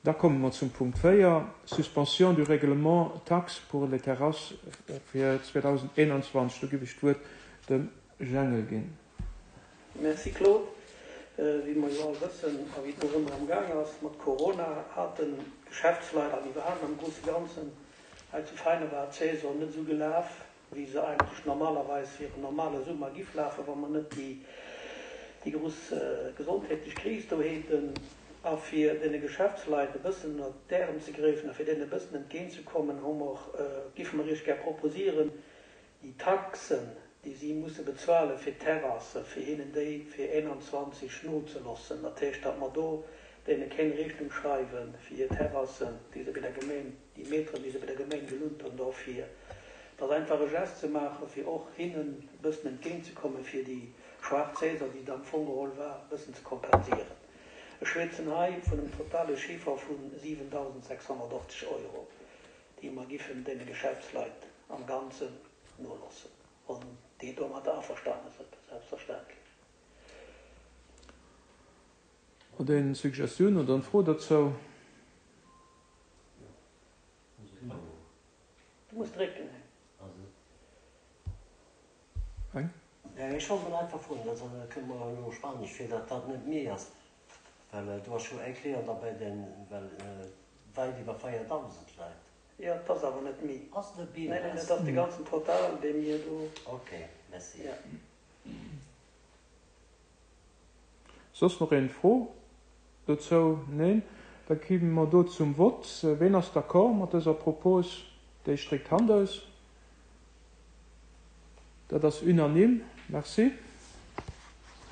Da komme mer zum Punkt 4, Suspension du règlement taxe pour les terrasses fir 2021. Do giff ech d'Wuert dem Jengel ginn. Merci Claude. Wéi mer jo all wëssen a wéi et nach ëmmer am Gaang ass mat Corona, haten d'Geschäftsleit an iwwerhaapt am grousse Ganzen hei zu Veinen war d'Saison net esou gelaf, wéi se eigentlech normalerweis hiren normale Summer giff lafen, wa mer net déi déi grouss gesondheetlech Kris do häten. A fir deene Geschäftsleit e bëssen ënnert d'Ärem ze gräfen a fir deenen e bëssen entgéint ze kommen, hu mer, giffe mer Iech gär proposieren, déi Taxen, déi si musse bezuale fir d'Terrassen, fir hinnen déi fir 21 nozelossen. Dat heescht, datt mer do deene keng Rechnung schreiwe fir hir Terrassen, déi se bei der Gemeng, déi Meteren, déi se bei der Gemeng gelunt hunn, dofir dass einfach e Geste ze maachen, fir och hinnen e bëssen entgéintzekommen, fir déi schwaach Saison, déi et am Fong geholl war, e bëssen ze kompensieren. Ech schwätzen hei vun engem totale Chiffer vu 7.680 Euro, déi mer giffen deene Geschäftsleit am Ganzen nolossen, wann déi domatter averstane sënn, selbstverständlech. Huet een Suggestioun oder en Fro dozou? Du muss drécken, Heng. Eng? Ech wollt mol einfach froen, dat kënnt mer elo spanesch vir, datt dat net méi ass, well do ass jo e Client derbäi, deen well wäit iwwer 4.000 läit. Jo, et ass awer net méi. Ass net méi? Neen, neen, et ass de ganzen Total, dee mir do. Ok, merci. Jo. Soss nach een Fro dozou? Neen? Da gi mer do zum Vott. Ween ass d'accord mat dëser Propos? Déi stréckt d'Hand aus. Dat ass unanime. Merci.